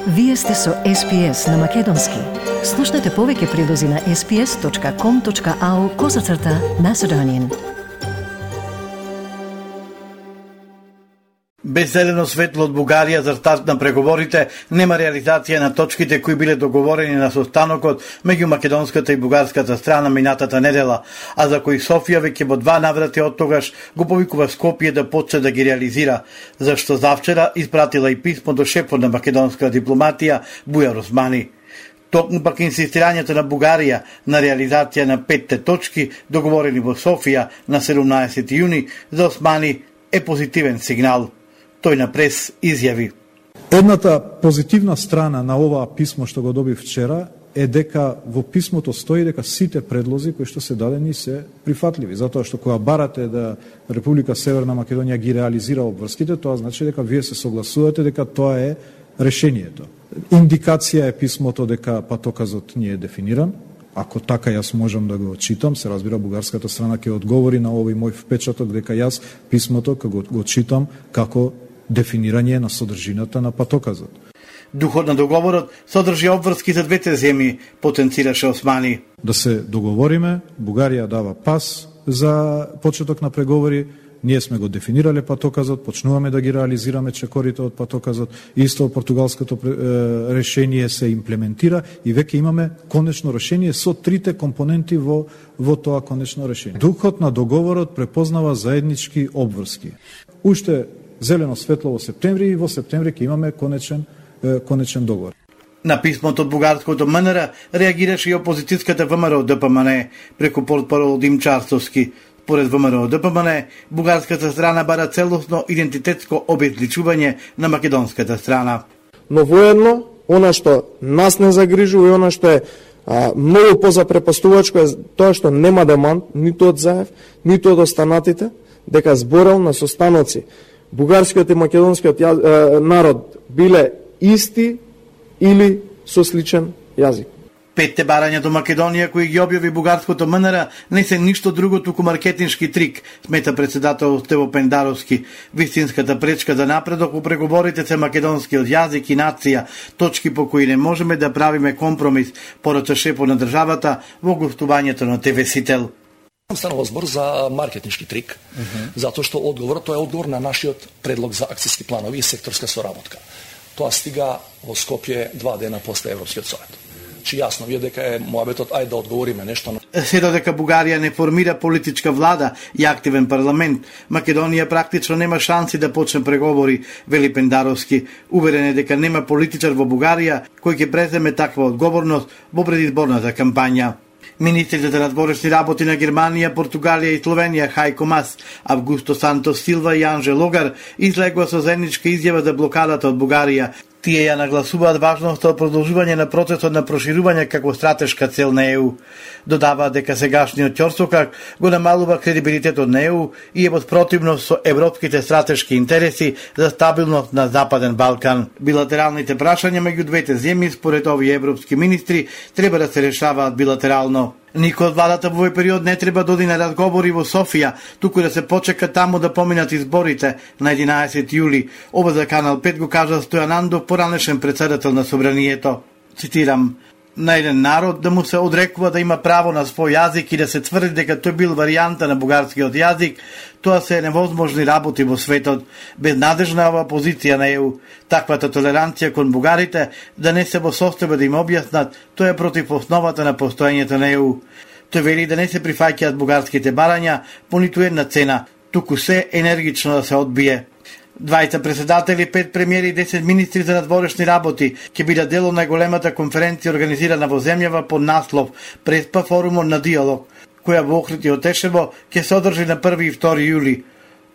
Вие сте со SPS на Македонски. Слушнете повеќе прилози на sps.com.au/Macedonian. Без зелено светло од Бугарија за старт на преговорите, нема реализација на точките кои биле договорени на состанокот меѓу македонската и бугарската страна минатата недела, а за кои Софија веќе во 2 наврати од тогаш го повикува Скопје да почне да ги реализира, зашто завчера испратила и писмо до шефот на македонска дипломатија Бујар Османи. Токму пак инсистирањето на Бугарија на реализација на 5 точки договорени во Софија на 17 јуни за Османи е позитивен сигнал. Тој на прес изјави: Едната позитивна страна на оваа писмо што го доби вчера е дека во писмото стои дека сите предлози кои што се дадени се прифатливи, затоа што кога барате да Република Северна Македонија ги реализира обврските, тоа значи дека вие се согласувате дека тоа е решението. Индикација е писмото дека патоказот не е дефиниран. Ако така јас можам да го читам, се разбира бугарската страна ќе одговори на овој мој впечаток дека јас писмото го читам како дефинирање на содржината на патоказот. Духот на договорот содржи обврски за двете земји, потенцираше Османи. Да се договориме, Бугарија дава пас за почеток на преговори, ние сме го дефинирале патоказот, почнуваме да ги реализираме чекорите од патоказот, исто португалското решение се имплементира и веќе имаме конечно решение со 3 компоненти во тоа конечно решение. Духот на договорот препознава заеднички обврски. Уште зелено светло во септември и во септември ќе имаме конечен договор. На писмото од бугарското МНР реагираше и опозицијската ВМРО ДПМН преку портпарол Дим Чарсовски. Според ВМРО ДПМН, бугарската страна бара целосно идентитетско обезличување на македонската страна. Но воедно, она што нас не загрижува и она што е многу позапрепастувачко е тоа што нема демант ниту од Заев, ниту од останатите, дека зборел на состаноци бугарскиот и македонскиот народ биле исти или со сличен јазик. 5 барања до Македонија кои ги објави бугарското МНР не се ништо друго туку маркетиншки трик, смета председател Стево Пендаровски. Вистинската пречка за напредок во преговорите се македонскиот јазик и нација, точки по кои не можеме да правиме компромис, порача шефот на државата во гостувањето на ТВ Сител. Станува збор за маркетиншки трик, затоа што тоа е одговор на нашиот предлог за акцијски планови и секторска соработка. Тоа стига во Скопје 2 дена после Европскиот совет. Чи јасно вие дека е моабетот ајде да одговориме нешто. Се додека Бугарија не формира политичка влада и активен парламент, Македонија практично нема шанси да почне преговори, вели Пендаровски. Уверен е дека нема политичар во Бугарија кој ќе преземе таква одговорност во предизборната кампања. Министрите за надворешни работи на Германија, Португалија и Словенија Хајко Мас, Августо Сантос Силва и Анже Логар излегува со заедничка изјава за блокадата од Бугарија. Тие ја нагласуваат важноста од продолжување на процесот на проширување како стратешка цел на ЕУ. Додаваат дека сегашниот ќорсокак го намалува кредибилитетот на ЕУ и е во спротивност со европските стратешки интереси за стабилност на Западен Балкан. Билатералните прашања меѓу двете земји, според овие европски министри, треба да се решаваат билатерално. Никој од владата во овој период не треба да оди на разговори во Софија, туку да се почека таму да поминат изборите на 11 јули. Ова за Канал 5 го кажа Стојан Андов, поранешен председател на Собранието. Цитирам: на еден народ да му се одрекува да има право на свој јазик и да се тврди дека тој бил варијанта на бугарскиот јазик, тоа се невозможни работи во светот. Безнадежна ова позиција на ЕУ. Таквата толеранција кон бугарите да не се во состојба да им објаснат, тоа е против основата на постоењето на ЕУ. Тој вели да не се прифаќаат бугарските барања по ниту една цена, туку се енергично да се одбие. 20 председатели, 5 премиери и 10 министри за надворешни работи ќе бидат дел од најголемата конференција организирана во земјава под наслов Преспа форумот на диалог, која во Охрид и Отешево ќе се одржи на 1 и 2 јули.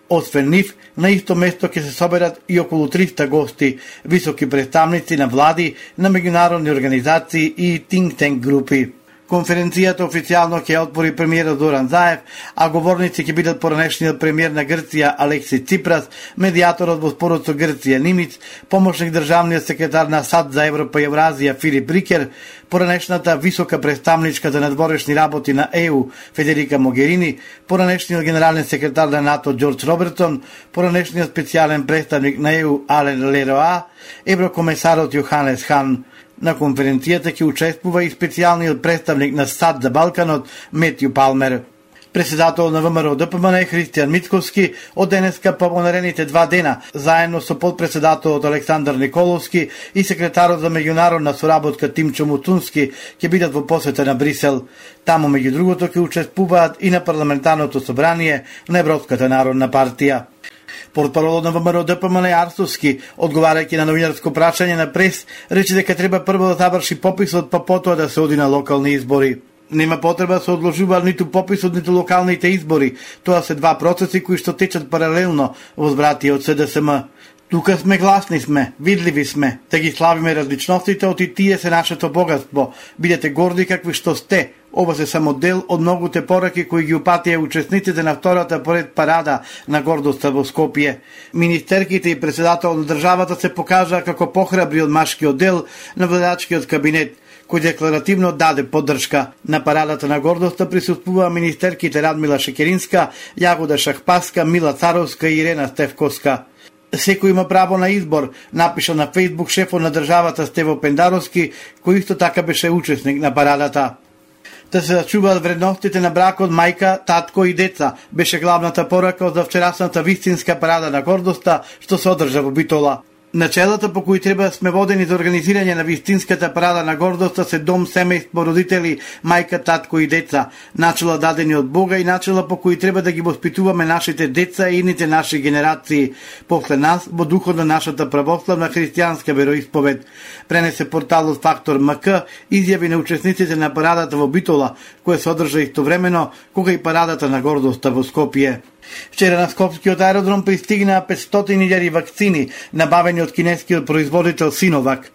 Освен нив, на исто место ќе се соберат и околу 300 гости, високи представници на влади, на меѓународни организации и think tank групи. Конференцијата официјално ќе отвори премиерот Зоран Заев, а говорници ќе бидат поранешниот премиер на Грција Алекси Ципрас, медијаторот во спорот со Грција Нимиц, помошник државниот секретар на САД за Европа и Евразија Филип Рикер, поранешната висока представничка за надворешни работи на ЕУ Федерика Могерини, поранешниот генерален секретар на НАТО Џорџ Робертон, поранешниот специјален представник на ЕУ Ален Лероа, еврокомесарот Јоханес Хан. На конференцијата ќе учествува и специјалниот представник на САД за Балканот Метју Палмер. Председател на ВМРО ДПМН Христијан Мицковски од денеска по наредните 2 дена, заедно со подпредседателот Александар Николовски и секретарот за меѓународна соработка Тимчо Муцунски ќе бидат во посета на Брисел. Таму меѓу другото ќе учествуваат и на парламентарното собрание на Европската народна партија. Портпаролот на ВМРО ДПМН Арсовски, одговарајќи на новинарско прашање на прес, рече дека треба прво да заврши пописот, па потоа да се оди на локални избори. Нема потреба да се одложува ниту пописот, ниту локалните избори. Тоа се два процеси кои што течат паралелно, возбрати од СДСМ. Тука сме гласни сме, видливи сме, да ги славиме различностите, оти тие се нашето богатство. Бидете горди какви што сте. Ова се само дел од многуте пораки кои ги упатија учесниците на втората поред парада на гордоста во Скопје. Министерките и председател на државата се покажаа како похрабри од машкиот дел на владачкиот кабинет, кој декларативно даде поддршка. На парадата на гордоста присуствуваа министерките Радмила Шекеринска, Јагода Шахпаска, Мила Царовска и Ирена Стевковска. Секој има право на избор, напиша на Фејсбук шефот на државата Стево Пендаровски, кој исто така беше учесник на парадата. Да се зачуваат вредностите на бракот мајка, татко и деца, беше главната порака од вчерасната вистинска парада на гордоста што се одржа во Битола. Начелата по кои треба сме водени за организирање на вистинската парада на гордоста се дом, семејство, родители, мајка, татко и деца, начела дадени од Бога и начела по кои треба да ги воспитуваме нашите деца и идните наши генерации, после нас во духот на нашата православна христијанска вероисповед. Пренесе порталот Фактор МК изјави на учесниците на парадата во Битола, која се одржа истовремено кога и парадата на гордоста во Скопје. Вчера на скопскиот аеродром пристигнаа 500.000 вакцини, набавени од кинескиот производител Синовак.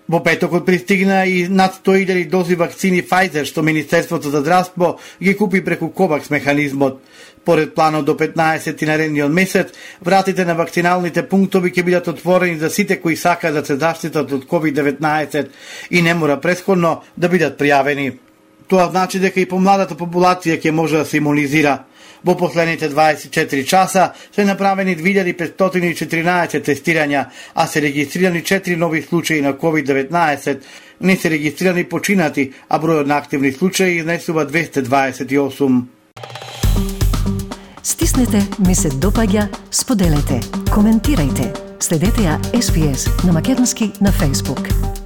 Во петокот пристигнаа и над 100.000 дози вакцини Pfizer, што Министерството за здравство ги купи преку Ковакс механизмот. Поред планот до 15 наредниот месец, вратите на вакциналните пунктови ќе бидат отворени за сите кои сакаат да се заштитат од COVID-19 и не мора претходно да бидат пријавени. Тоа значи дека и помладата популација ќе може да се имунизира. Во последните 24 часа се направени 2514 тестирања, а се регистрирани 4 нови случаи на COVID-19. Не се регистрирани починати, а бројот на активни случаи изнесува 228. Стиснете, ми се допаѓа, споделете, коментирајте. Следете ја SPS на Македонски на Facebook.